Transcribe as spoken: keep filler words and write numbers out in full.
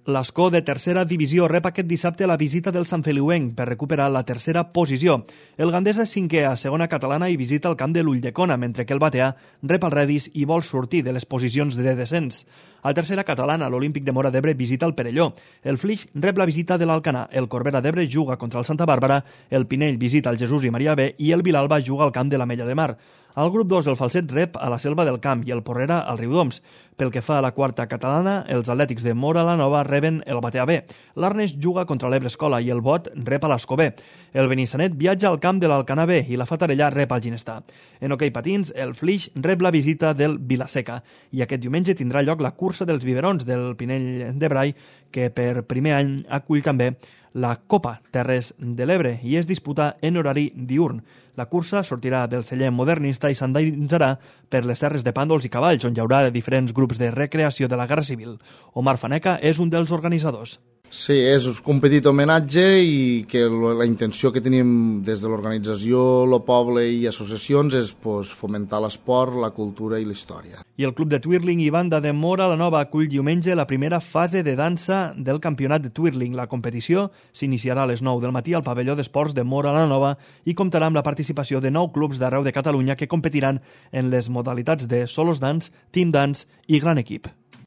L'Escó de tercera divisió rep aquest dissabte la visita del Santfeliuenc per recuperar la tercera posició. El Gandesa és cinquè a segona catalana i visita el camp de l'Ulldecona, mentre que el Bateà rep el Redis i vol sortir de les posicions de descens. A tercera catalana, l'Olímpic de Móra d'Ebre visita el Perelló. El Flix rep la visita de l'Alcanar, el Corbera d'Ebre juga contra el Santa Bàrbara, el Pinell visita el Jesús i Maria B i el Vilalba juga al camp de l'Ametlla de Mar. Al grup dos, el Falset rep a la Selva del Camp i el Porrera al Riudoms. Pel que fa a la quarta catalana, els Atlètics de Móra la Nova reben el Bateà B. L'Arnes juga contra l'Ebre Escola i el Bot rep a l'Escó B. El Benissanet viatja al camp de l'Alcanar B i la Fatarella rep al Ginestà. En hoquei patins, el Flix rep la visita del Vilaseca i aquest diumenge tindrà lloc la cursa dels biberons del Pinell de Brai, que per primer any acull també la Copa Terres de l'Ebre i es disputa en horari diürn. La cursa sortirà del celler modernista i s'endinserà per les serres de Pàndols i Cavalls, on hi haurà diferents grups de recreació de la Guerra Civil. Omar Faneca és un dels organitzadors. Sí, és un petit homenatge i que la intenció que tenim des de l'organització, el poble i associacions és pues, fomentar l'esport, la cultura i la història. I el Club de Twirling i Banda de Móra la Nova acull diumenge la primera fase de dansa del campionat de Twirling. La competició s'iniciarà a les nou del matí al pavelló d'esports de Móra la Nova i comptarà amb la participació de nou clubs d'arreu de Catalunya que competiran en les modalitats de solos dance, team dance i gran equip.